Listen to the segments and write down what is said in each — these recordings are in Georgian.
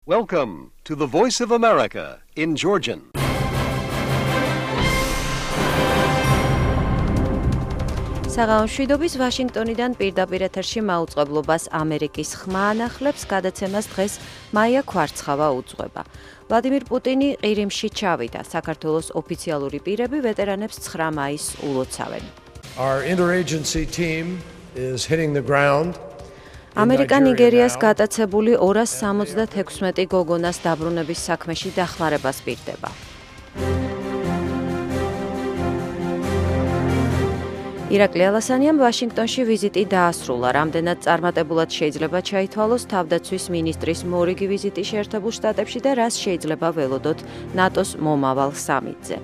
Welcome to the Voice of America in Georgian. საღამოშვიდობის ვაშინგტონიდან პირდაპირ ეთერში მაუწყებლობას ამერიკის ხმა ანახლებს გადაცემას დღეს მაია ქვარცხავა უძღვება. ვლადიმირ პუტინი ყირიმში ჩავიდა. საქართველოს ოფიციალური პირები ვეტერანებს 9 მაისს ულოცავენ. Our interagency team is hitting the ground. ამერიკა ნიგერიას გატაცებული 276 გოგონას დაბრუნების საქმეში დახმარებას პირდება. ირაკლი ალასანიამ ვაშინგტონში ვიზიტი დაასრულა. რამდენად წარმატებულად შეიძლება ჩაითვალოს თავდაცვის მინისტრის მორიგი ვიზიტი შეერთებულ შტატებში და რას შეიძლება ველოდოთ ნატოს მომავალ სამიტზე.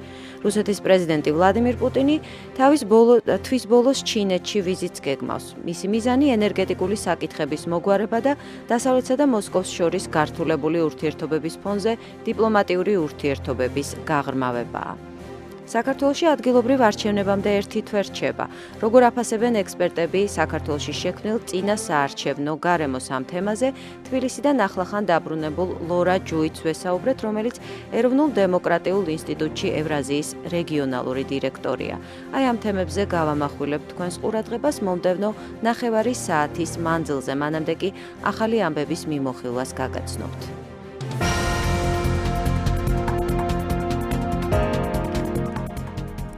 რუსეთის პრეზიდენტი ვლადიმირ პუტინი თვის ბოლოს ჩინეთში ვიზიტს გეგმავს. მისი მიზანი ენერგეტიკული საკითხების მოგვარება და დასავლეთსა და მოსკოვს შორის გართულებული ურთიერთობების ფონზე დიპლომატიური ურთიერთობების გაღრმავებაა. საქართველოში ადგილობრივ არჩევნებამდე 1 თვე რჩება. როგორ აფასებენ ექსპერტები საქართველოში შექმნილ წინა საარჩევნო გარემოს ამ თემაზე, თბილისიდან ახლახან დაბრუნებულ ლორა ჯუიც ვესაუბრეთ, რომელიც ეროვნულ დემოკრატიულ ინსტიტუტში ევრაზიის რეგიონალური დირექტორია. აი ამ თემებზე გავამახვილებთ თქვენს ყურადღებას მომდევნო ნახევარი საათის მანძილზე, მანამდე კი ახალი ამბების მიმოხილვას გაგაცნობთ.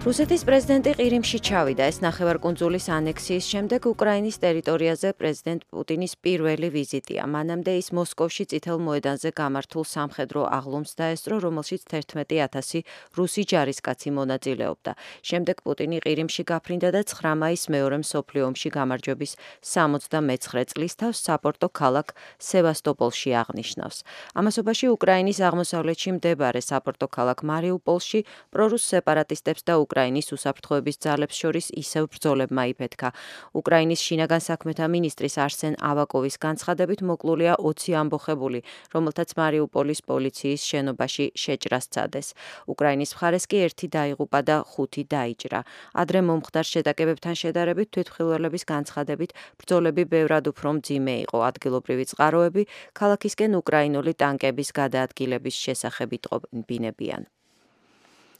რუსეთის პრეზიდენტი ყირიმში ჩავიდა. ეს ნახევარკუნძულის ანექსიის შემდეგ უკრაინის ტერიტორიაზე პრეზიდენტ პუტინის პირველი ვიზიტია. მანამდე ის მოსკოვში წითელ მოედანზე გამართულ სამხედრო აღლუმს დაესწრო, რომელშიც 11,000 რუსი ჯარისკაცი მონაწილეობდა. შემდეგ პუტინი ყირიმში გაფრინდა და 9 მაისს მეორე მსოფლიო ომში გამარჯვების 79 წლის თავს საპორტო ქალაქ სევასტოპოლში აღნიშნავს. ამასობაში უკრაინის აღმოსავლეთში მდებარე საპორტო ქალაქ მარიუპოლში პრორუს სეპარატისტებს და უკრაინის უსაფრთხოების ძალებს შორის ისევ ბრძოლებმა იფეთქა. უკრაინის შინაგან საქმეთა მინისტრის არსენ ავაკოვის განცხადებით მოკლულია 20 ამბოხებული, რომელთაც მარიუპოლის პოლიციის შენობაში შეჭრა სცადეს. უკრაინის მხარეს კი 1 დაიღუპა და 5 დაიჭრა. ადრე მომხდარ შეტაკებებთან შედარებით თვითმხილველების განცხადებით ბრძოლები ბევრად უფრო მძიმე იყო. ადგილობრივი წყაროები ქალაქისკენ უკრაინული ტანკების გადაადგილების შესახებ იტყობინებიან.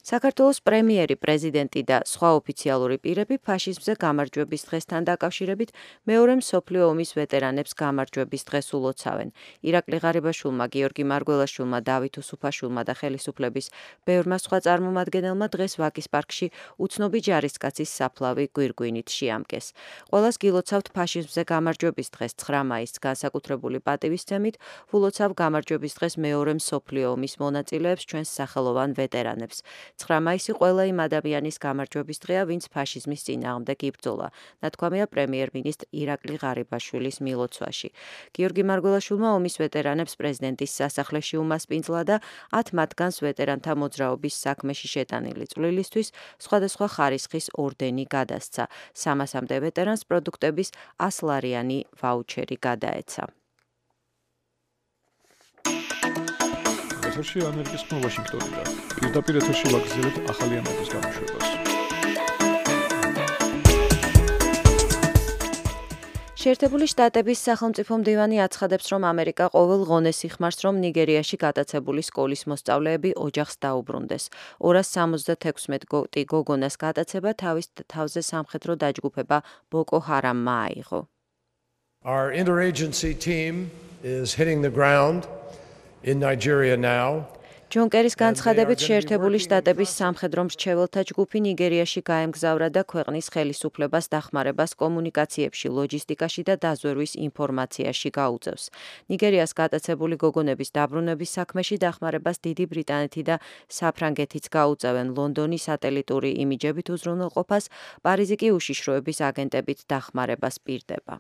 საქართველოს პრემიერი, პრეზიდენტი და სხვა ოფიციალური პირები ფაშიზმზე გამარჯვების დღესთან დაკავშირებით მეორე მსოფლიო ომის ვეტერანებს გამარჯვების დღეს ულოცავენ. ირაკლი ღარიბაშვილმა, გიორგი მარგველაშვილმა, დავით უსუფაშვილმა და ხელისუფლების ბევრმა სხვა წარმომადგენელმა დღეს ვაკის პარკში უცნობი ჯარისკაცის საფლავი გვირგვინით შეამკეს. ყველას გილოცავთ ფაშიზმზე გამარჯვების დღეს 9 მაისს განსაკუთრებული პატივისცემით ულოცავ გამარჯვების დღეს მეორე მსოფლიო ომის მონაწილეებს, ჩვენს სახელოვან ვეტერანებს. 9 მაისი ყველა იმ ადამიანის გამარჯვების დღეა, ვინც ფაშიზმის წინააღმდეგ იბრძოლა, ნათქვამია პრემიერ-მინისტრ ირაკლი ღარიბაშვილის მილოცვაში. გიორგი მარგველაშვილმა ომის ვეტერანებს პრეზიდენტის სასახლეში უმასპინძლა და 10 მათგანს ვეტერანთა მოძრაობის საქმეში შეტანილი წვლილისთვის სხვადასხვა ხარისხის ორდენი გადასცა. 300-მდე ვეტერანს პროდუქტების 100 ლარიანი ვაუჩერი გადაეცა. ეთერში ამერიკის ხმა ვაშინგტონიდან. პირდაპირ ეთერში ვაგრძელებთ ახალი ამბების გამოშვებას. შეერთებული შტატების სახელმწიფო მდივანი აცხადებს, რომ ამერიკა ყოველ ღონეს იხმარს, რომ ნიგერიაში გატაცებული სკოლის მოსწავლეები ოჯახს დაუბრუნდეს. 276 გოგონას გატაცება თავის თავზე სამხედრო დაჯგუფება ბოკო ჰარამმა აიღო. Our interagency team is hitting the ground in Nigeria now. ჯონ კერის განცხადებით შეერთებული შტატების სამხედრო მრჩეველთა ჯგუფი ნიგერიაში გაემგზავრა და ქვეყნის ხელისუფლებას დახმარებას კომუნიკაციებში, ლოჯისტიკაში და დაზვერვის ინფორმაციაში გაუწევს. ნიგერიას გატაცებული გოგონების დაბრუნების საქმეში დახმარებას დიდი ბრიტანეთი და საფრანგეთიც გაუწევენ. ლონდონის სატელიტური იმიჯებით უზრუნველყოფას, პარიზი კი უშიშროების აგენტებით დახმარებას პირდება.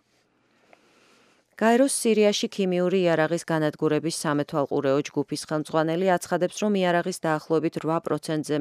გაეროს სირიაში ქიმიური იარაღის განადგურების სამეთვალყურეო ჯგუფის ხელმძღვანელი აცხადებს, რომ იარაღის დაახლოებით 8%-ზე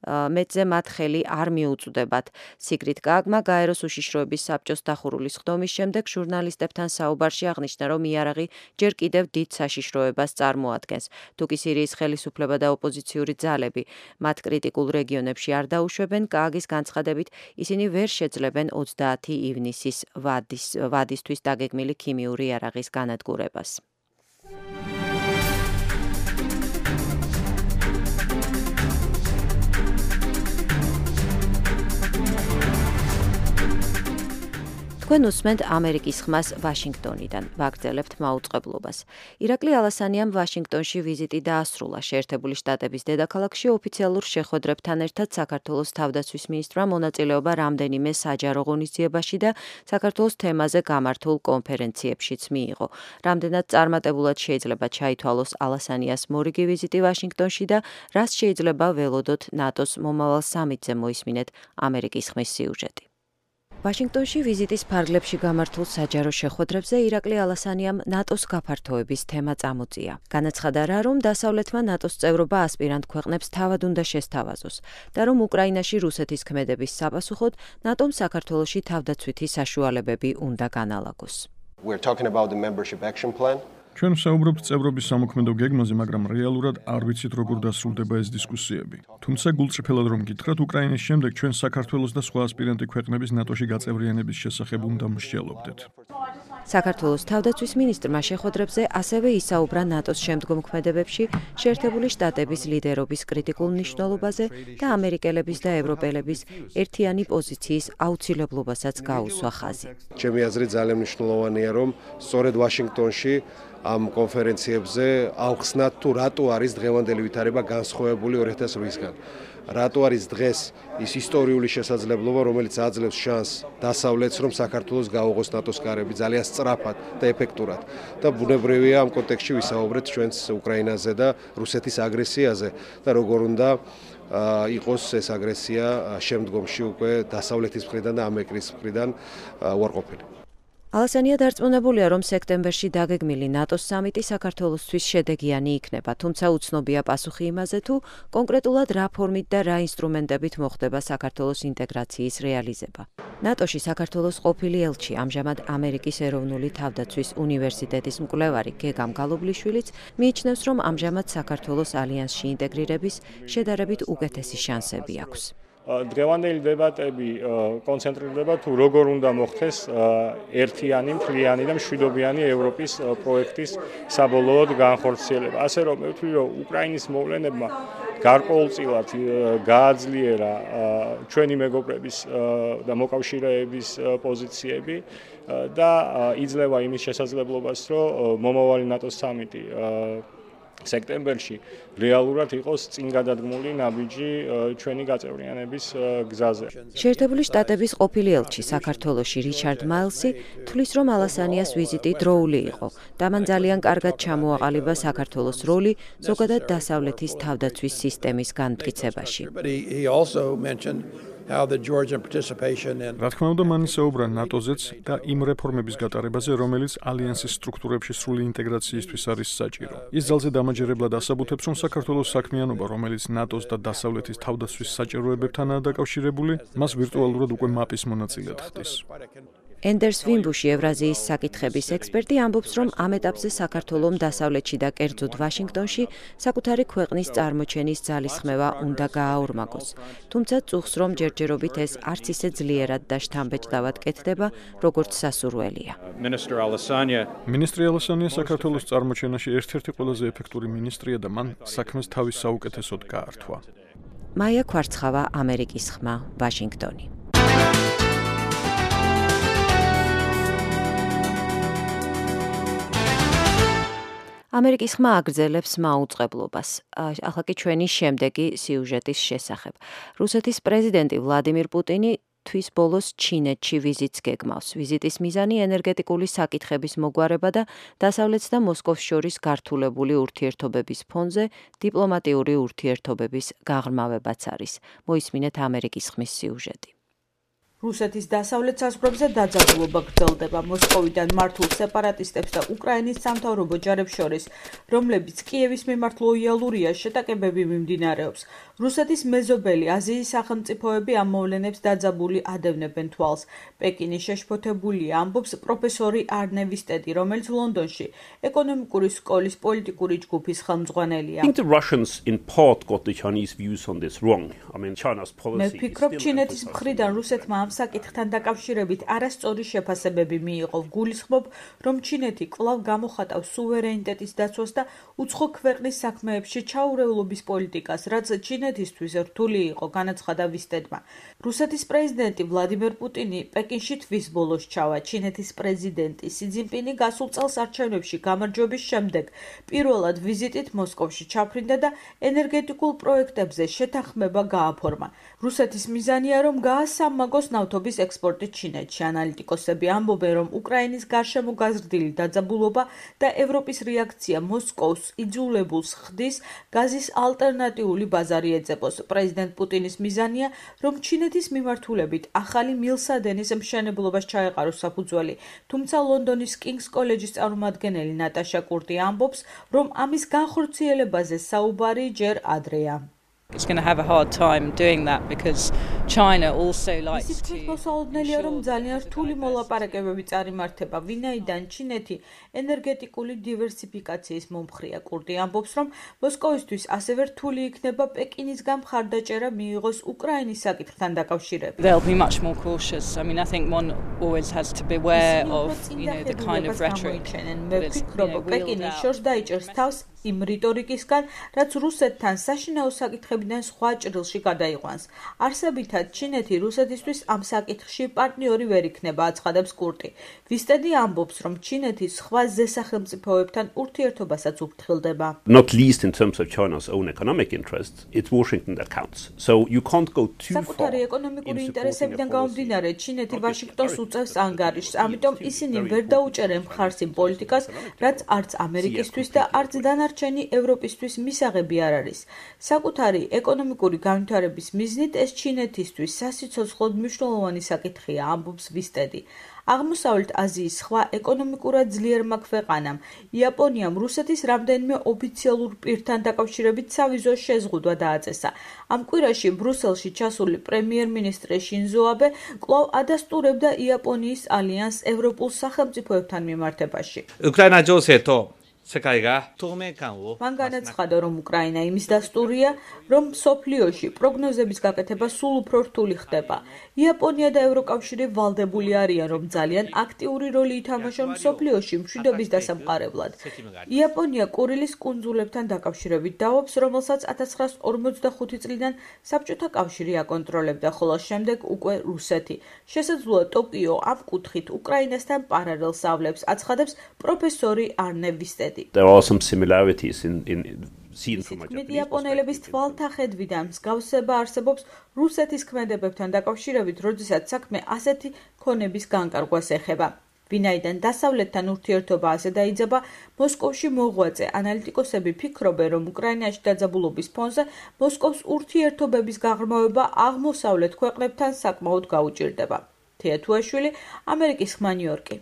მეტზე მათ ხელი არ მიუწვდებათ. სიგრიდ გააგმა გაეროს უშიშროების საბჭოს დახურულის ხდომის შემდეგ ჟურნალისტებთან საუბარში აღნიშნა, რომ იარაღი ჯერ კიდევ დიდ საშიშროებას წარმოადგენს. თუკი სირიის ხელისუფლება და ოპოზიციური ძალები მათ კრიტიკულ რეგიონებში არ დაუშვებენ, გააგის განცხადებით, ისინი ვერ შეძლებენ 30 ივნისის ვადისთვის დაგეგმილი ქიმიური იარაღის განადგურებას. თქვენ უსმენთ ამერიკის ხმას ვაშინგტონიდან. ვაგრძელებთ მაუწყებლობას. ირაკლი ალასანიამ ვაშინგტონში ვიზიტი დაასრულა. შეერთებული შტატების დედაქალაქში ოფიციალურ შეხვედრებთან ერთად საქართველოს თავდაცვის მინისტრმა მონაწილეობა რამდენიმე საჯარო ღონისძიებაში და საქართველოს თემაზე გამართულ კონფერენციებშიც მიიღო. რამდენად წარმატებულად შეიძლება ჩაითვალოს ალასანიას მორიგი ვიზიტი ვაშინგტონში და რას შეიძლება ველოდოთ ნატოს მომავალ სამიტზე მოისმინეთ ამერიკის ხმის სიუჟეტი. ვაშინგტონში ვიზიტის ფარგლებში გამართულ საჯარო შეხვედრებზე ირაკლი ალასანიამ ნატოს გაფართოების თემა წამოწია. განაცხადა რა, რომ დასავლეთმა ნატოს წევრობა ასპირანტ ქვეყნებს თავად უნდა შესთავაზოს და რომ უკრაინაში რუსეთის ქმედების საპასუხოდ ნატომ საქართველოში თავდაცვითი საშუალებები უნდა განალაგოს. We're talking about the membership action plan. ჩვენ ვსაუბრობთ წევრობის სამოქმედო გეგმაზე, მაგრამ რეალურად არ ვიცით როგორ დასრულდება ეს დისკუსიები. თუმცა გულწრფელად რომ გითხრათ, უკრაინის შემდეგ ჩვენ საქართველოს და სხვა ასპირანტი ქვეყნების ნატოში გაწევრიანების შესახებ უნდა მსჯელობდეთ. საქართველოს თავდაცვის მინისტრმა შეხვედრებზე ასევე ისაუბრა ნატოს შემდგომ ქმედებებში შეერთებული შტატების ლიდერობის კრიტიკულ მნიშვნელობაზე და ამერიკელების და ევროპელების ერთიანი პოზიციის აუცილებლობასაც გაუსვა ხაზი. ჩემი აზრით ძალიან მნიშვნელოვანია, რომ სწორედ ვაშინგტონში ამ კონფერენციებზე ავხსნათ თუ რატო არის დღევანდელი ვითარება განსხვავებული 2008-ისგან. რატო არის დღეს ის ისტორიული შესაძლებლობა, რომელიც აძლევს შანსს დასავლეთს, რომ საქართველოს გაუღოს ნატოს კარები ძალიან სწრაფად და ეფექტურად. და ბუნებრივია ამ კონტექსტში ვისაუბრეთ ჩვენს უკრაინაზე და რუსეთის აგრესიაზე და როგორ უნდა იყოს ეს აგრესია შემდგომში უკვე დასავლეთის მხრიდან და ამერიკის მხრიდან უარყოფილი. ალასანია დარწმუნებულია, რომ სექტემბერში დაგეგმილი ნატოს სამიტი საქართველოსთვის შედეგიანი იქნება, თუმცა უცნობია პასუხი იმაზე, თუ კონკრეტულად რა ფორმით და რა ინსტრუმენტებით მოხდება საქართველოს ინტეგრაციის რეალიზება. ნატოში საქართველოს ყოფილი ელჩი, ამჟამად ამერიკის ეროვნული თავდაცვის უნივერსიტეტის მკვლევარი გეგამ გალობლიშვილიც მიიჩნევს, რომ ამჟამად საქართველოს ალიანსში ინტეგრირების შედარებით უკეთესი შანსები აქვს. დღევანდელი დებატები კონცენტრირდება თუ როგორ უნდა მოხდეს ერთიანი, მთლიანი და მშვიდობიანი ევროპის პროექტის საბოლოოდ განხორციელება. ასე რომ მე ვთვლი, რომ უკრაინის მოვლენებმა გარკვეულწილად გააძლიერა ჩვენი მეგობრების და მოკავშირეების პოზიციები და იძლევა იმის შესაძლებლობას, რომ მომავალი ნატოს სამიტი სექტემბერში რეალურად იყოს წინ გადადგმული ნაბიჯი ჩვენი გაწევრიანების გზაზე. შეერთებული შტატების ყოფილი ელჩი საქართველოში რიჩარდ მაილსი თვლის, რომ ალასანიას ვიზიტი დროული იყო და მან ძალიან კარგად ჩამოაყალიბა საქართველოს როლი ზოგადად დასავლეთის თავდაცვის სისტემის განმტკიცებაში. რა თქმა უნდა, მან ისაუბრა ნატოზეც და იმ რეფორმების გატარებაზე, რომელიც ალიანსის სტრუქტურებში სრული ინტეგრაციისთვის არის საჭირო. ის ძალზე დამაჯერებლად ასაბუთებს, რომ საქართველოს საქმიანობა, რომელიც ნატოს და დასავლეთის თავდაცვის საჭიროებებთანაა დაკავშირებული, მას ვირტუალურად უკვე მაპის მონაწილედ ხდის. ენდერს ვიმბუში, ევრაზიის საკითხების ექსპერტი, ამბობს, რომ ამ ეტაპზე საქართველომ დასავლეთში და კერძოდ ვაშინგტონში საკუთარი ქვეყნის წარმოჩენის ძალისხმევა უნდა გააორმაგოს. თუმცა წუხს, რომ ჯერჯერობით ეს არც ისე ძლიერად და შთამბეჭდავად კეთდება, როგორც სასურველია. მინისტრი ალასანია საქართველოს წარმოჩენაში ერთ-ერთი ყველაზე ეფექტური მინისტრია და მან საქმეს თავის საუკეთესოდ გაართვა. მაია ქვარცხავა, ამერიკის ხმა, ვაშინგტონი. ამერიკის ხმა აგრძელებს მაუწყებლობას. ახლა კი ჩვენი შემდეგი სიუჟეტის შესახებ. რუსეთის პრეზიდენტი ვლადიმირ პუტინი თვის ბოლოს ჩინეთში ვიზიტს გეგმავს. ვიზიტის მიზანი ენერგეტიკული საკითხების მოგვარება და დასავლეთს და მოსკოვს შორის გართულებული ურთიერთობების ფონზე დიპლომატიური ურთიერთობების გაღრმავებაც არის. მოისმინეთ ამერიკის ხმის სიუჟეტი. რუსეთის დასავლეთ საზღვრებზე დაძაბულობა გრძელდება მოსკოვიდან მართულ სეპარატისტებს და უკრაინის სამთავრობო ჯარებს შორის, რომლებიც კიევის მიმართ ლოიალურია, შეტაკებები მიმდინარეობს. რუსეთის მეზობელი აზიის სახელმწიფოები ამ მოვლენებს დაძაბული ადევნებენ თვალს. პეკინი შეშფოთებულია, ამბობს პროფესორი არნე ვისტედი, რომელიც ლონდონში ეკონომიკური სკოლის პოლიტიკური ჯგუფის ხელმძღვანელია. მე ვფიქრობ, ჩინეთის მხრიდან რუსეთმა ამ საკითხთან დაკავშირებით არასწორი შეფასებები მიიღო. გულისხმობ, რომ ჩინეთი კვლავ გამოხატავს სუვერენიტეტის დაცვას და უცხო ქვეყნის საქმეებში ჩაურევლობის პოლიტიკას, რაც ჩინეთისთვის რთული იყო, განაცხადა ვისტედმა. რუსეთის პრეზიდენტი ვლადიმერ პუტინი პეკინში თვის ბოლოს ჩავა. ჩინეთის პრეზიდენტი სი ძინპინი გასულ წელს არჩევნებში გამარჯვების შემდეგ პირველად ვიზიტით მოსკოვში ჩაფრინდა და ენერგეტიკულ პროექტებზე შეთანხმება გააფორმა. რუსეთის მიზანია, რომ გაასამაგოს ნავთობის ექსპორტი ჩინეთში. ანალიტიკოსები ამბობენ, რომ უკრაინის გარშემო გაზრდილი დაძაბულობა და ევროპის რეაქცია მოსკოვს იძულებულს ხდის გაზის ალტერნატიული ბაზარი ეძებოს. პრეზიდენტ პუტინის მიზანია, რომ ჩინეთის მიმართულებით ახალი მილსადენის მშენებლობას ჩაეყაროს საფუძველი. თუმცა ლონდონის კინგს კოლეჯის წარმომადგენელი ნატაშა კურტი ამბობს, რომ ამის განხორციელებაზე საუბარი ჯერ ადრეა. It's going to have a hard time doing that because China also likes to. ის მოსაოდნელია, რომ ძალიან რთული მოლაპარაკებები წარიმართება, ვინაიდან ჩინეთი ენერგეტიკული დივერსიფიკაციის მომხრეა. კურტი ამბობს, რომ მოსკოვისთვის ასევე რთული იქნება პეკინისგან მხარდაჭერა მიიღოს უკრაინის საკითხთან დაკავშირებით. They'll be much more cautious. I mean, I think one always has to be aware of, the kind of rhetoric. მე ვფიქრობ, პეკინი შორს დაიჭერს თავს იმ რიტორიკისგან, რაც რუსეთთან საშინაო საკითხებიდან სხვა ჭრილში გადაიყვანს. არსებითად, ჩინეთი რუსეთისთვის ამ საკითხში პარტნიორი ვერ იქნება, აცხადებს კურტი. ვისტედი ამბობს, რომ ჩინეთი სხვა ზესახელმწიფოებთან ურთიერთობასაც უფრთხილდება. Not least in terms of China's own economic interests, it's Washington that counts. So you can't go too far. საკუთარი ეკონომიკური ინტერესებიდან გამომდინარე, ჩინეთი ვაშინგტონს უწევს ანგარიშს, ამიტომ ისინი ვერ დაუჭერენ მხარს იმ პოლიტიკას, რაც არც ამერიკისთვის და არც დანარჩენი ევროპისთვის მისაღები არ არის. საკუთარი ეკონომიკური განვითარების მიზნით ეს ჩინეთისთვის სასიცოცხლოდ მნიშვნელოვანი საკითხია, ამბობს ვისტედი. აღმოსავლეთ აზიის სხვა ეკონომიკურად ძლიერმა ქვეყანამ, იაპონიამ რუსეთის რამდენიმე ოფიციალურ პირთან დაკავშირებით სავიზო შეზღუდვა დააწესა. ამ კვირაში ბრუსელში ჩასული პრემიერ-მინისტრი შინზო აბე კვლავ ადასტურებდა იაპონიის ალიანსს ევროპულ სახელმწიფოებთან მიმართებაში. უკრაინა ჯოსეთო მან განაცხადა, რომ უკრაინა იმის დასტურია, რომ მსოფლიოში პროგნოზების გაკეთება სულ უფრო რთული ხდება. იაპონია და ევროკავშირი ვალდებული არიან, რომ ძალიან აქტიური როლი ითამაშონ მსოფლიოში მშვიდობის დასამყარებლად. იაპონია კურილის კუნძულებთან დაკავშირებით დაობს, რომელსაც 1945 წლიდან საბჭოთა კავშირი აკონტროლებდა, ხოლო შემდეგ უკვე რუსეთი. შესაძლოა ტოკიო ამ კუთხით უკრაინასთან პარალელს ავლებს, აცხადებს პროფესორი არნე ვისტედი. There are some similarities in seen from my იაპონელების თვალთახედვიდან მსგავსება არსებობს რუსეთის ქმედებებთან დაკავშირებით, როდესაც საქმე ასეთი ქონების განკარგვას ეხება. ვინაიდან დასავლეთთან ურთიერთობა ასე დაიძაბა, მოსკოვში მოღვაწე ანალიტიკოსები ფიქრობენ, რომ უკრაინაში დაძაბულობის ფონზე მოსკოვს ურთიერთობების გაღრმავება აღმოსავლეთ ქვეყნებთან საკმაოდ გაუჭირდება. თეა თუაშვილი, ამერიკის ხმა ნიუ-იორკი.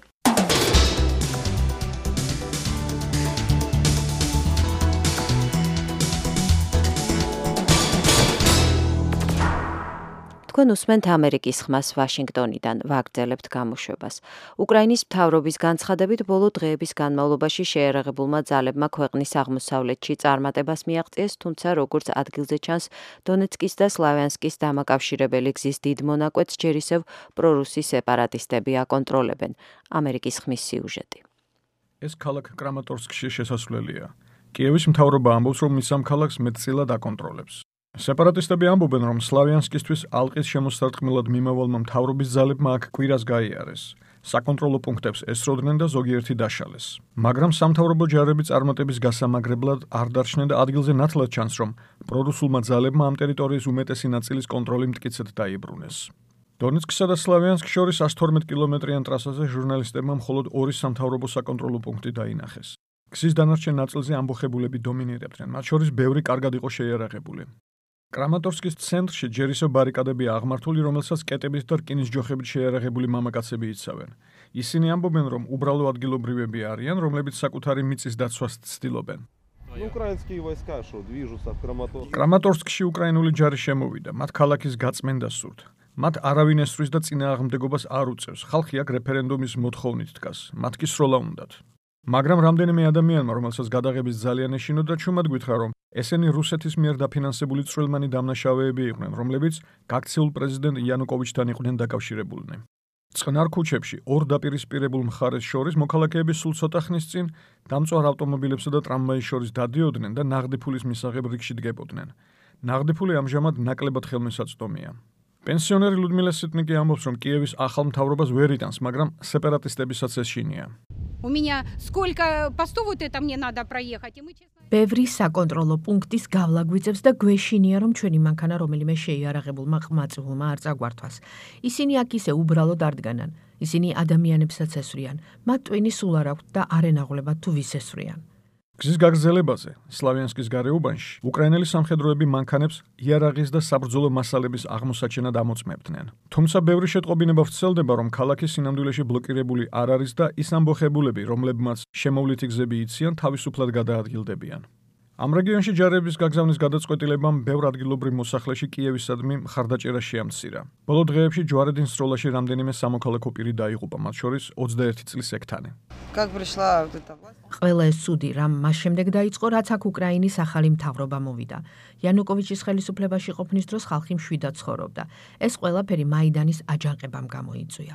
თქვენ უსმენთ ამერიკის ხმას ვაშინგტონიდან, ვაგრძელებთ გამოშვებას. უკრაინის მთავრობის განცხადებით ბოლო დღეების განმავლობაში შეერაღებულმა ძალებმა ქვეყნის აღმოსავლეთში წარმატებას მიაღწიეს, თუმცა როგორც ადგილზე ჩანს, დონეცკის და სლავიანსკის დამაკავშირებელი გზის დიდ მონაკვეთს ჯერ ისევ პრორუსი სეპარატისტები აკონტროლებენ. ამერიკის ხმის სიუჟეტი. ეს ქალაქ კრამატორსკში შესასვლელია. კიევის მთავრობა ამბობს, რომ მის ამ ქალაქს მეტწილად აკონტროლებს. სეპარატისტები ამბობენ, რომ სლავიანსკისთვის ალყის შემოსარტყმელად მიმავალმა მთავრობის ძალებმა აქ კვირას გაიარეს. საკონტროლო პუნქტებს ესროდნენ და ზოგიერთი დაშალეს. მაგრამ სამთავრობო ჯარები წარმატების გასამაგრებლად არ დარჩნენ და ადგილზე ნათლად ჩანს, რომ პრორუსულმა ძალებმა ამ ტერიტორიის უმეტესი ნაწილის კონტროლი მტკიცედ დაიბრუნეს. დონეცკსა და სლავიანსკს შორის 112 კილომეტრიან ტრასაზე ჟურნალისტებმა მხოლოდ ორი სამთავრობო საკონტროლო პუნქტი დაინახეს. გზის დანარჩენ ნაწილზე ამბოხებულები დომინირებდნენ, მათ შორის ბევრი კარგად იყო შეიარაღებული. კრამატორსკის ცენტრში ჯერ ისევ ბარიკადებია აღმართული, რომელსაც კეტების და რკინის ჯოხებით შეიარაღებული მამაკაცები იცავენ. ისინი ამბობენ, რომ უბრალო ადგილობრივები არიან, რომლებიც საკუთარი მიწის დაცვას ცდილობენ. კრამატორსკში უკრაინული ჯარი შემოვიდა, მათ ქალაქის გაწმენდა სურთ. მათ არავინ ესვრის და წინააღმდეგობას არ უწევს. ხალხი აქ რეფერენდუმის მოთხოვნით დგას. მათ კი სროლა უნდათ. მაგრამ რამდენიმე ადამიანმა, რომელსაც გადაღების ძალიან ეშინოდა, ჩუმად გითხრა, რომ ესენი რუსეთის მიერ დაფინანსებული წვრილმანი დამნაშავეები იყვნენ, რომლებიც გაქცეულ პრეზიდენტ იანუკოვიჩთან იყვნენ დაკავშირებულნი. წყნარ ქუჩებში ორ დაპირისპირებულ მხარეს შორის მოქალაქეები სულ ცოტა ხნის წინ დამწვარ ავტომობილებსა და ტრამვაის შორის დადიოდნენ და ნაღდი ფულის მისაღებ რიგში დგებოდნენ. ნაღდი ფული ამჟამად ნაკლებად ხელმისაწვდომია. პენსიონერი ლუდმილა სიტნიკი ამბობს, რომ კიევის ახალ მთავრობას ვერ იტანს, მაგრამ სეპარატისტებისაც ეს შინია. ბევრი საკონტროლო პუნქტის გავლა გვიწევს და გვეშინია, რომ ჩვენი მანქანა რომელიმე შეიარაღებულმა ყმაწვილმა არ წაგვართვას. ისინი აქ ისე უბრალოდ არ დგანან. ისინი ადამიანებსაც ესვრიან. მათ ტვინი სულ არ აქვთ და არ ენაღლებათ თუ ვის ესვრიან. გზის გაგრძელებაზე, სლავიანსკის გარეუბანში, უკრაინელი სამხედროები მანქანებს იარაღის და საბრძოლო მასალების აღმოსაჩენად ამოწმებდნენ. თუმცა ბევრი შეტყობინება ვრცელდება, რომ ქალაქი სინამდვილეში ბლოკირებული არ არის და ის ამბოხებულები, რომლებმაც შემოვლითი გზები იციან, თავისუფლად გადაადგილდებიან. ამ რეგიონში ჯარების გაგზავნის გადაწყვეტილებამ ბევრ ადგილობრივ მოსახლეში კიევისადმი მხარდაჭერა შეამცირა. ბოლო დღეებში ჯვარედინს სროლაში რამდენიმე სამოქალაქო პირი დაიღუპა, მათ შორის 21 წლის ექთანი. ყველა ეს ცუდი რამ მას შემდეგ დაიწყო, რაც აქ უკრაინის ახალი მთავრობა მოვიდა. იანუკოვიჩის ხელისუფლებაში ყოფნის დროს ხალხი მშვიდად ცხოვრობდა. ეს ყველაფერი მაიდანის აჯანყებამ გამოიწვია.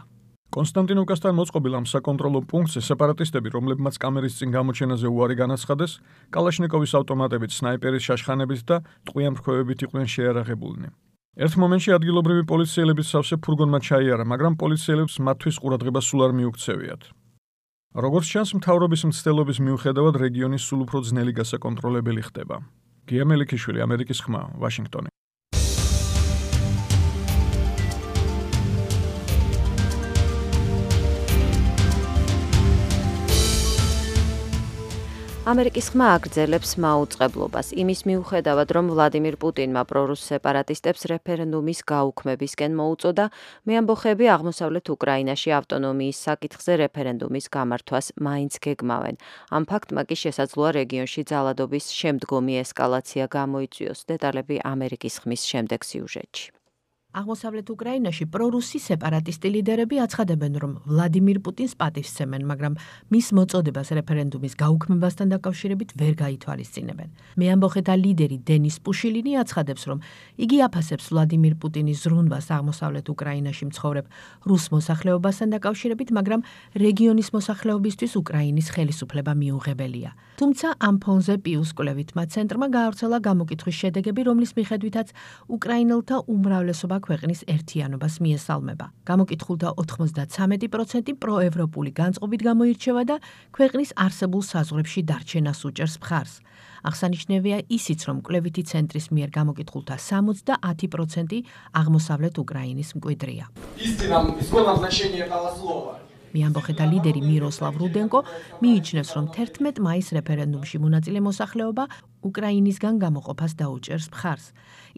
კონსტანტინოვკასთან მოწყობილ ამ საკონტროლო პუნქტზე სეპარატისტები, რომლებმაც კამერის წინ გამოჩენაზე უარი განაცხადეს, კალაშნიკოვის ავტომატებით, სნაიპერის შაშხანებით და ტყვია-მრქვევებით იყვნენ შეიარაღებულნი. ერთ მომენტში ადგილობრივი პოლიციელების სავსე ფურგონმა ჩაიარა, მაგრამ პოლიციელებს მათთვის ყურადღება სულ არ მიუქცევიათ. როგორც ჩანს, მთავრობის მცდელობის მიუხედავად რეგიონი სულ უფრო ძნელი გასაკონტროლებელი ხდება. გია მელიქიშვილი, ამერიკის ხმა, ვაშინგტონი. ამერიკის ხმა აგრძელებს მაუწყებლობას იმის მიუხედავად, რომ ვლადიმირ პუტინმა პრორუს სეპარატისტებს რეფერენდუმის გაუქმებისკენ მოუწოდა, მეამბოხეები აღმოსავლეთ უკრაინაში ავტონომიის საკითხზე რეფერენდუმის გამართვას მაინც გეგმავენ. ამ ფაქტმა კი შესაძლოა რეგიონში ძალადობის შემდგომი ესკალაცია გამოიწვიოს. დეტალები ამერიკის ხმის შემდეგ სიუჟეტში. აღმოსავლეთ უკრაინაში პრორუსი სეპარატისტი ლიდერები აცხადებენ, რომ ვლადიმირ პუტინს პატივსცემენ, მაგრამ მის მოწოდებას რეფერენდუმის გაუქმებასთან დაკავშირებით ვერ გაითვალისწინებენ. მეამბოხეთა ლიდერი დენის პუშილინი აცხადებს, რომ იგი აფასებს ვლადიმირ პუტინის ზრუნვას აღმოსავლეთ უკრაინაში მცხოვრებ რუს მოსახლეობასთან დაკავშირებით, მაგრამ რეგიონის მოსახლეობისთვის უკრაინის ხელისუფლება მიუღებელია. თუმცა ამ ფონზე პიუს კვლევითმა ცენტრმა გაავრცელა გამოკითხვის შედეგები, რომლის მიხედვითაც უკრაინელთა უმრავლესობა ქვეყნის ერთიანობას მიესალმება. გამოკითხულთა 93% პროევროპული განწყობით გამოირჩევა და ქვეყნის არსებულ საზღვრებში დარჩენას უჭერს მხარს. აღსანიშნავია ისიც, რომ კვლევითი ცენტრის მიერ გამოკითხულთა 70% აღმოსავლეთ უკრაინის მკვიდრია. მეამბოხეთა ლიდერი მიროსლავ რუდენკო მიიჩნევს, რომ 11 მაისს რეფერენდუმში მონაწილე მოსახლეობა უკრაინისგან გამოყოფას დაუჭერს მხარს.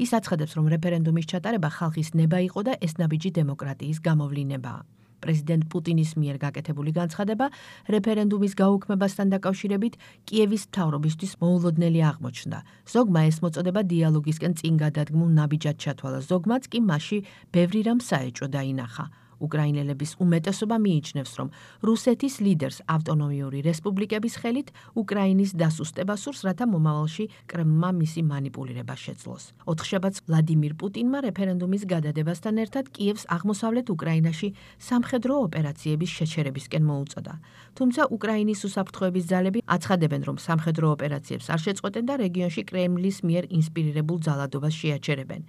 ის აცხადებს, რომ რეფერენდუმის ჩატარება ხალხის ნება იყო და ეს ნაბიჯი დემოკრატიის გამოვლინებაა. პრეზიდენტ პუტინის მიერ გაკეთებული განცხადება რეფერენდუმის გაუქმებასთან დაკავშირებით კიევის მთავრობისთვის მოულოდნელი აღმოჩნდა. ზოგმა ეს მოწოდება დიალოგისკენ წინ გადადგმულ ნაბიჯად ჩათვალა, ზოგმაც კი მასში ბევრი რამ საეჭვო დაინახა. უკრაინელების უმეტესობა მიიჩნევს, რომ რუსეთის ლიდერს ავტონომიური რესპუბლიკების ხელით უკრაინის დასუსტება სურს, რათა მომავალში კრემლმა მისი მანიპულირება შეძლოს. 4 შაბათს ვლადიმირ პუტინმა რეფერენდუმის გადადებასთან ერთად კიევს აღმოსავლეთ უკრაინაში სამხედრო ოპერაციების შეჩერებისკენ მოუწოდა. თუმცა უკრაინის უსაფრთხოების ძალები აცხადებენ, რომ სამხედრო ოპერაციებს არ შეწყვეტენ და რეგიონში კრემლის მიერ ინსპირირებულ ძალადობას შეაჩერებენ.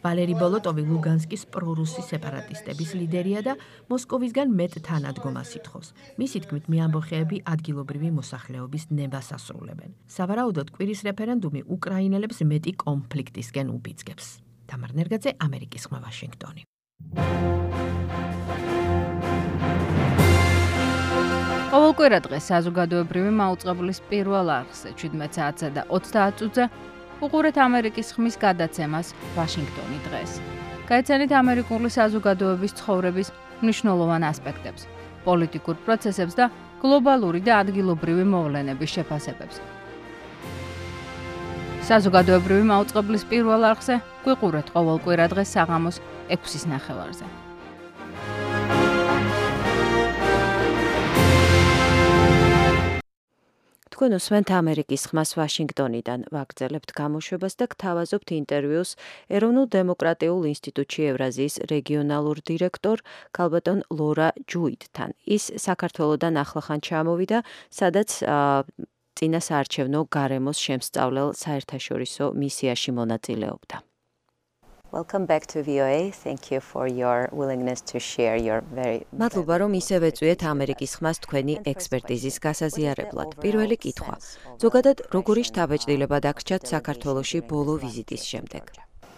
ვალერი ბოლოტოვი ლუგანსკის პრორუსი სეპარატისტების ლიდერია და მოსკოვისგან მეტ თანადგომას ითხოვს. მისი თქმით, მეამბოხეები ადგილობრივი მოსახლეობის ნებას ასრულებენ. სავარაუდოდ, კვირის რეფერენდუმი უკრაინელებს მეტი კონფლიქტისკენ უბიძგებს. თამარ ნერგაძე, ამერიკის ხმა, ვაშინგტონი. ყოველკვირა დღეს საზოგადოებრივი მაუწყებლის პირველ არხზე 17 საათსა და 30 წუთზე უყურეთ ამერიკის ხმის გადაცემას ვაშინგტონი დღეს. გაიცანით ამერიკული საზოგადოების ცხოვრების მნიშვნელოვან ასპექტებს, პოლიტიკურ პროცესებს და გლობალური და ადგილობრივი მოვლენების შეფასებებს. საზოგადოებრივი მაუწყებლის პირველ არხზე გვიყურეთ ყოველკვირა დღეს საღამოს 6:09. თქვენ უსმენთ ამერიკის ხმას ვაშინგტონიდან, ვაგრძელებთ გამოშვებას და გთავაზობთ ინტერვიუს ეროვნულ დემოკრატიულ ინსტიტუტში ევრაზიის რეგიონალურ დირექტორ ქალბატონ ლორა ჯუიდთან. ის საქართველოდან ახლახან ჩამოვიდა, სადაც წინა საარჩევნო გარემოს შემსწავლელ საერთაშორისო მისიაში მონაწილეობდა. Welcome back to VOA. Thank you for your willingness to share your very მადლობა, რომ ისევ ეწვიეთ ამერიკის ხმას თქვენი ექსპერტიზის გასაზიარებლად. პირველი კითხვა. ზოგადად, როგორი შთაბეჭდილება დაგრჩათ საქართველოში ბოლო ვიზიტის შემდეგ?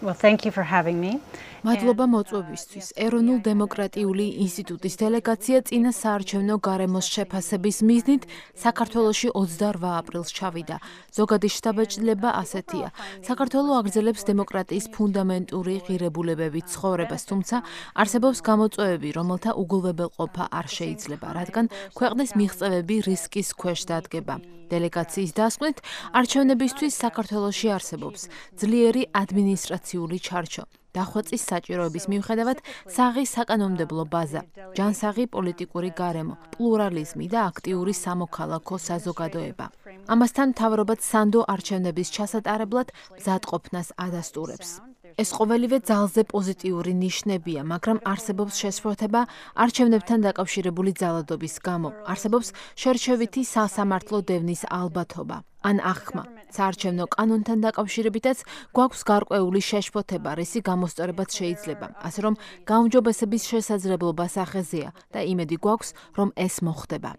Well, thank you for having me. მადლობა მოწვევისთვის. ეროვნულ დემოკრატიული ინსტიტუტის დელეგაცია წინა საარჩევნო გარემოს შეფასების მიზნით საქართველოში 28 აპრილს ჩავიდა. ზოგადი შთაბეჭდილება ასეთია. საქართველო აგრძელებს დემოკრატიის ფუნდამენტური ღირებულებებით ცხოვრებას, თუმცა არსებობს გამოწვევები, რომელთა უგულებელყოფა არ შეიძლება, რადგან ქვეყნის მიღწევები რისკის ქვეშ დადგება. დელეგაციის დასკვნით, არჩევნებისთვის საქართველოში არსებობს ძლიერი ადმინისტრაციული ჩარჩო. დახვეწის საჭიროების მიუხედავად, საღი საკანონმდებლო ბაზა, ჯანსაღი პოლიტიკური გარემო, პლურალიზმი და აქტიური სამოქალაქო საზოგადოება. ამასთან მთავრობაც სანდო არჩევნების ჩასატარებლად მზადყოფნას ადასტურებს. ეს ყოველივე ძალზე პოზიტიური ნიშნებია, მაგრამ არსებობს შესფოთება არჩევნებთან დაკავშირებული ძალადობის გამო. არსებობს შერჩევითი სასამართლო დევნის ალბათობა. ან აღქმა. საარჩევნო კანონთან დაკავშირებითაც გვაქვს გარკვეული შეშფოთება, რისი გამოსწორებაც შეიძლება. ასე რომ გაუმჯობესების შესაძლებლობა სახეზეა და იმედი გვაქვს, რომ ეს მოხდება.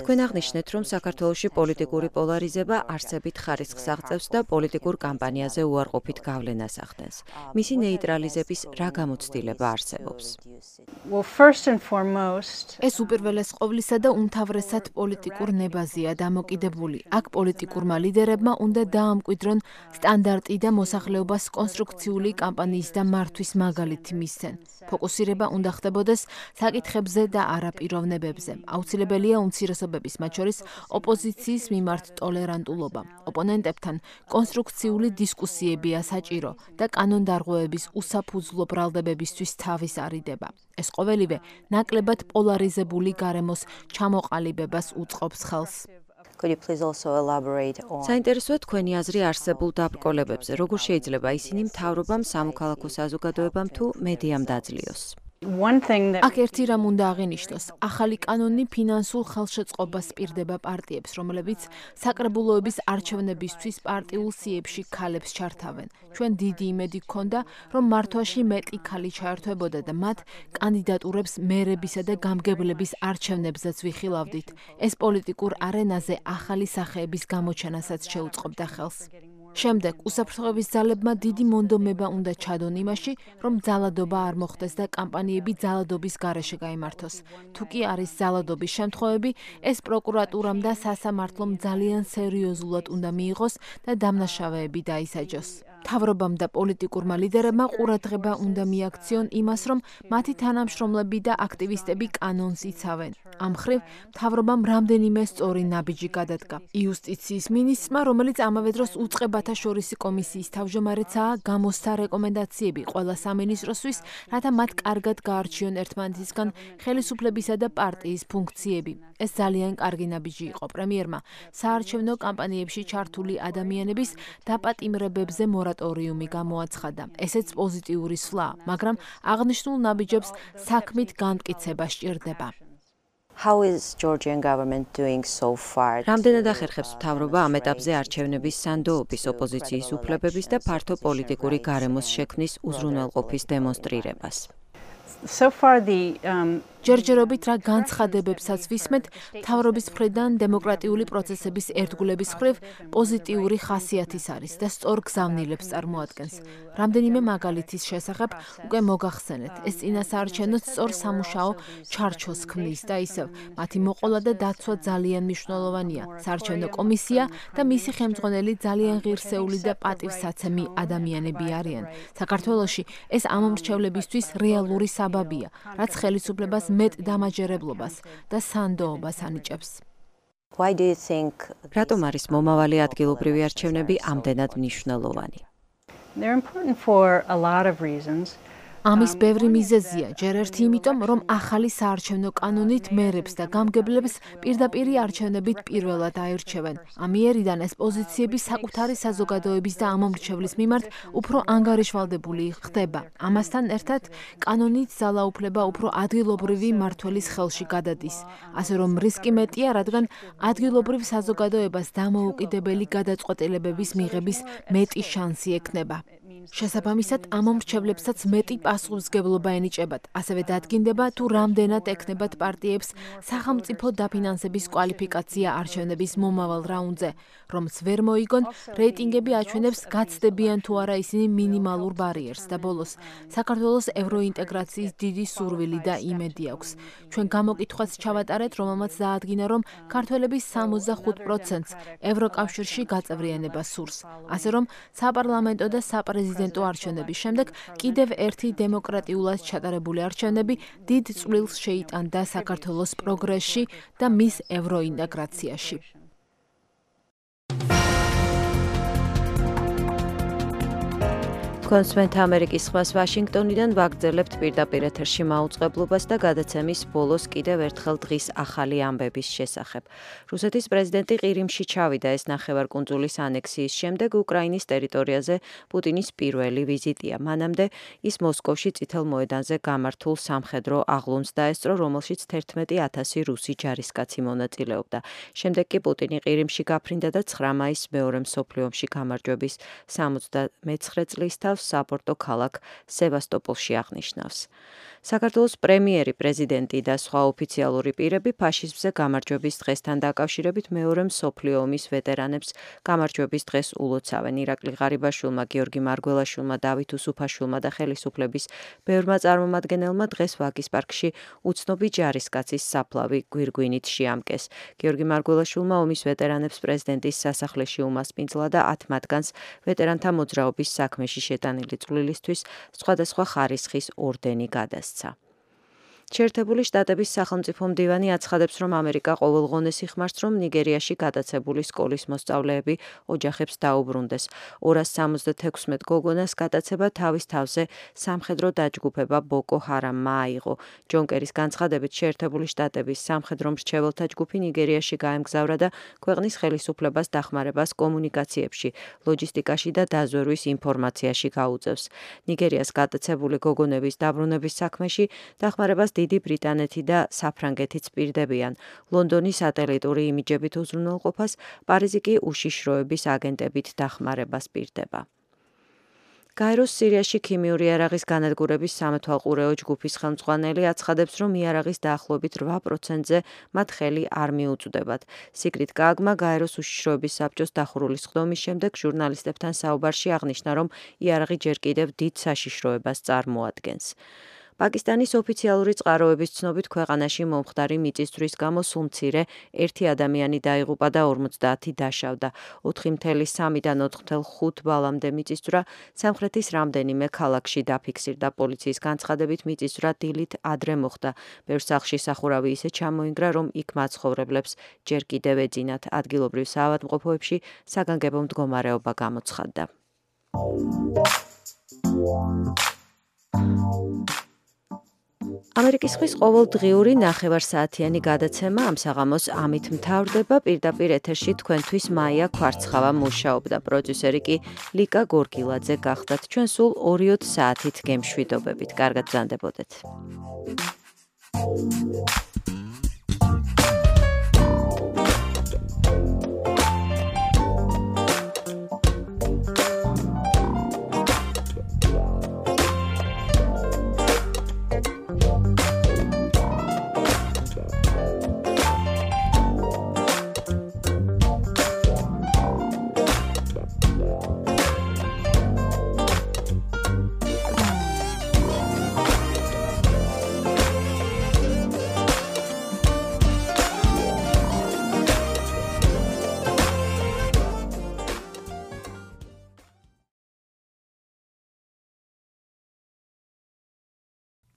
თქვენ აღნიშნეთ, რომ საქართველოში პოლიტიკური პოლარიზება არსებით ხარისხს აღწევს და პოლიტიკურ კამპანიაზე უარყოფით გავლენას ახდენს. მისი ნეიტრალიზების რა გამოცდილება არსებობს? ეს უპირველეს ყოვლისა და უმთავრესად პოლიტიკურ ნებაზეა დამოკიდებული. აქ პოლიტიკურმა ლიდერებმა უნდა დაამკვიდრონ სტანდარტი და მოსახლეობას კონსტრუქციული კამპანიის და მართვის მაგალითი მისცენ. ფოკუსირება უნდა ხდებოდეს საკითხებზე და არაპიროვნებებზე. აუცილებელია უმცირესობების, მათ შორის ოპოზიციის მიმართ ტოლერანტულობა. ოპონენტებთან კონსტრუქციული დისკუსიებია საჭირო და კანონდარღვევების უსაფუძვლო ბრალდებებისთვის თავის არიდება. ეს ყოველივე ნაკლებად პოლარიზებული გარემოს ჩამოყალიბებას უწყობს ხელს. საინტერესოა თქვენი აზრი არსებულ დაბრკოლებებზე, როგორ შეიძლება ისინი მთავრობამ, სამოქალაქო საზოგადოებამ თუ მედიამ დაძლიოს. აქ ერთი რამ უნდა აღინიშნოს. ახალი კანონი ფინანსურ ხელშეწყობას პირდება პარტიებს, რომლებიც საკრებულოების არჩევნებისთვის პარტიულ სიებში ქალებს ჩართავენ. ჩვენ დიდი იმედი გქონდა, რომ მართვაში მეტი ქალი ჩაერთვებოდა და მათ კანდიდატურებს მერებისა და გამგებლების არჩევნებზეც ვიხილავდით. ეს პოლიტიკურ არენაზე ახალი სახეების გამოჩენასაც შეუწყობდა ხელს. შემდეგ უსაფრთხოების ძალებმა დიდი მონდომება უნდა ჩადონ იმაში, რომ ძალადობა არ მოხდეს და კამპანიები ძალადობის გარეშე გაიმართოს. თუ კი არის ძალადობის შემთხვევები, ეს პროკურატურამ და სასამართლომ ძალიან სერიოზულად უნდა მიიღოს და დამნაშავეები დაისაჯოს. მთავრობამ და პოლიტიკურმა ლიდერებმა ყურადღება უნდა მიაქციონ იმას, რომ მათი თანამშრომლები და აქტივისტები კანონს იცავენ. ამ მხრივ მთავრობამ რამდენიმე სწორი ნაბიჯი გადადგა. იუსტიციის მინისტრმა, რომელიც ამავე დროს უწყებათა შორისი კომისიის თავმჯდომარეცაა, გამოსცა რეკომენდაციები ყველა სამინისტროსთვის, რათა მათ კარგად გაარჩიონ ერთმანეთისგან ხელისუფლებისა და პარტიის ფუნქციები. ეს ძალიან კარგი ნაბიჯი იყო პრემიერმა საარჩევნო კამპანიებში ჩართული ადამიანების დაპატიმრებებზე მორატორიუმი გამოაცხადა. ესეც პოზიტიური სვლაა, მაგრამ აღნიშნულ ნაბიჯებს საქმით განმტკიცება სჭირდება. რამდენად ახერხებს მთავრობა ამ ეტაპზე არჩევნების სანდოობის, ოპოზიციის უფლებების და ფართო პოლიტიკური გარემოს შექმნის უზრუნველყოფის დემონსტრირებას? ჯერჯერობით რა განცხადებებსაც ვისმენთ, მთავრობის მხრიდან დემოკრატიული პროცესების ერთგულების მხრივ პოზიტიური ხასიათის არის და სწორ გზავნილებს წარმოადგენს. რამდენიმე მაგალითის შესახებ უკვე მოგახსენეთ. ეს წინასაარჩევნო სწორ სამუშაო ჩარჩოს ქმნის და ისევ მათი მოყოლა და დაცვა ძალიან მნიშვნელოვანია. საარჩევნო კომისია და მისი ხელმძღვანელი ძალიან ღირსეული და პატივსაცემი ადამიანები არიან. საქართველოში ეს ამომრჩევლებისთვის რეალური საბაბია, რაც ხელისუფლებას მეტ დამაჯერებლობას და სანდოობას ანიჭებს. რატომ არის მომავალი ადგილობრივი არჩევნები ამდენად მნიშვნელოვანი? They're important for a lot of reasons. ამის ბევრი მიზეზია, ჯერ ერთი იმიტომ, რომ ახალი საარჩევნო კანონით მერებს და გამგებლებს პირდაპირი არჩევნებით პირველად აირჩევენ. ამიერიდან ეს პოზიციები საკუთარი საზოგადოების და ამომრჩევლის მიმართ უფრო ანგარიშვალდებული ხდება. ამასთან ერთად, კანონით ძალაუფლება უფრო ადგილობრივი მმართველის ხელში გადადის. ასე რომ რისკი მეტია, რადგან ადგილობრივ საზოგადოებას დამოუკიდებელი გადაწყვეტილებების მიღების მეტი შანსი ექნება. შესაბამისად, ამომრჩევლებსაც მეტი პასუხისმგებლობა ენიჭებათ. ასევე დადგინდება, თუ რამდენად ექნებათ პარტიებს სახელმწიფო დაფინანსების კვალიფიკაცია არჩევნების მომავალ რაუნდზე. რომც ვერ მოიგონ, რეიტინგები აჩვენებს, გაცდებიან თუ არა ისინი მინიმალურ ბარიერს და ბოლოს საქართველოს ევროინტეგრაციის დიდი სურვილი და იმედი აქვს. ჩვენ გამოკითხვაც ჩავატარეთ, რომელმაც დაადგინა, რომ ქართველების 65%-ს ევროკავშირში გაწევრიანება სურს. ასე რომ, საპარლამენტო და საპრეზიდენტო არჩევნების შემდეგ კიდევ ერთი დემოკრატიულად ჩატარებული არჩევნები დიდ წვლილს შეიტანდა საქართველოს პროგრესში და მის ევროინტეგრაციაში. კონსვენთ ამერიკის ხმას ვაშინგტონიდან ვაგრძელებთ პირდაპირ ეთერში მაუწყებლობას და გადაცემის ბოლოს კიდევ ერთხელ დღის ახალი ამბების შესახებ. რუსეთის პრეზიდენტი ყირიმში ჩავიდა ეს ნახევარკუნძულის ანექსიის შემდეგ უკრაინის ტერიტორიაზე პუტინის პირველი ვიზიტია. მანამდე ის მოსკოვში წითელ მოედანზე გამართულ სამხედრო აღლუმს დაესწრო, რომელშიც 11,000 რუსი ჯარისკაცი მონაწილეობდა. შემდეგ კი პუტინი ყირიმში გაფრინდა და 9 მაისს მეორე მსოფლიო ომში გამარჯვების 79 წლის თავს საპორტო ქალაქ სევასტოპოლში აღნიშნავს. საქართველოს პრემიერი, პრეზიდენტი და სხვა ოფიციალური პირები ფაშიზმზე გამარჯვების დღესთან დაკავშირებით მეორე მსოფლიო ომის ვეტერანებს გამარჯვების დღეს ულოცავენ. ირაკლი ღარიბაშვილმა, გიორგი მარგველაშვილმა, დავით უსუფაშვილმა და ხელისუფლების ბევრმა წარმომადგენელმა დღეს ვაგის პარკში უცნობი ჯარისკაცის საფლავი გვირგვინით შეამკეს. გიორგი მარგველაშვილმა ომის ვეტერანებს პრეზიდენტის სასახლეში უმასპინძლა და 10 მათგანს ვეტერანთა მოძრაობის საქმეში შეტანილი წვლილისთვის სხვადასხვა ხარისხის ორდენი გადასცა. შეერთებული შტატების სახელმწიფო მდივანი აცხადებს, რომ ამერიკა ყოველღონეს იხმარს, რომ ნიგერიაში გადაცებული სკოლის მოსწავლეები ოჯახებს დაუბრუნდეს. 276 გოგონას გადაცება თავის თავზე სამხედრო დაჯგუფება ბოკო ჰარამმა აიღო. ჯონ კერის განცხადებით, შეერთებული შტატების სამხედრო მრჩეველთა ჯგუფი ნიგერიაში გაემგზავრა და ქვეყნის ხელისუფლებას დახმარებას კომუნიკაციებში, ლოჯისტიკაში და დაზვერვის ინფორმაციაში გაუწევს. ნიგერიას გადაცებული გოგონების დაბრუნების საქმეში დახმარებას დიდი ბრიტანეთი და საფრანგეთიც პირდებიან. ლონდონის სატელიტური იმიჯებით უზრუნველყოფას, პარიზი კი უშიშროების აგენტებით დახმარებას პირდება. გაეროს სირიაში ქიმიური იარაღის განადგურების სამეთვალყურეო ჯგუფის ხელმძღვანელი აცხადებს, რომ იარაღის დაახლოებით 8%-ზე მათ ხელი არ მიუწვდებათ. სიგრიდ გააგმა გაეროს უშიშროების საბჭოს დახურული სხდომის შემდეგ ჟურნალისტებთან საუბარში აღნიშნა, რომ იარაღი ჯერ კიდევ დიდ საშიშროებას წარმოადგენს. პაკისტანის ოფიციალური წყაროების ცნობით ქვეყანაში მომხდარი მიწისძვრის გამო სულ მცირე 1 ადამიანი დაიღუპა და 50 დაშავდა. 4.3-დან 4.5 ბალამდე მიწისძვრა სამხრეთის რამდენიმე ქალაქში დაფიქსირდა. პოლიციის განცხადებით მიწისძვრა დილით ადრე მოხდა. ბევრ სახლში სახურავი ისე ჩამოინგრა, რომ იქ მაცხოვრებლებს ჯერ კიდევ ეძინათ. ადგილობრივ საავადმყოფოებში საგანგებო მდგომარეობა გამოცხადდა. ამერიკის ხმის ყოველდღიური ნახევარსაათიანი გადაცემა ამ საღამოს ამით მთავრდება. პირდაპირ ეთერში თქვენთვის მაია ქვარცხავა მუშაობდა. პროდიუსერი კი ლიკა გორგილაძე გახდათ. ჩვენ სულ 2 საათით გემშვიდობებით. კარგად ბრძანდებოდეთ.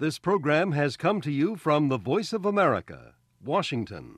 This program has come to you from the Voice of America, Washington.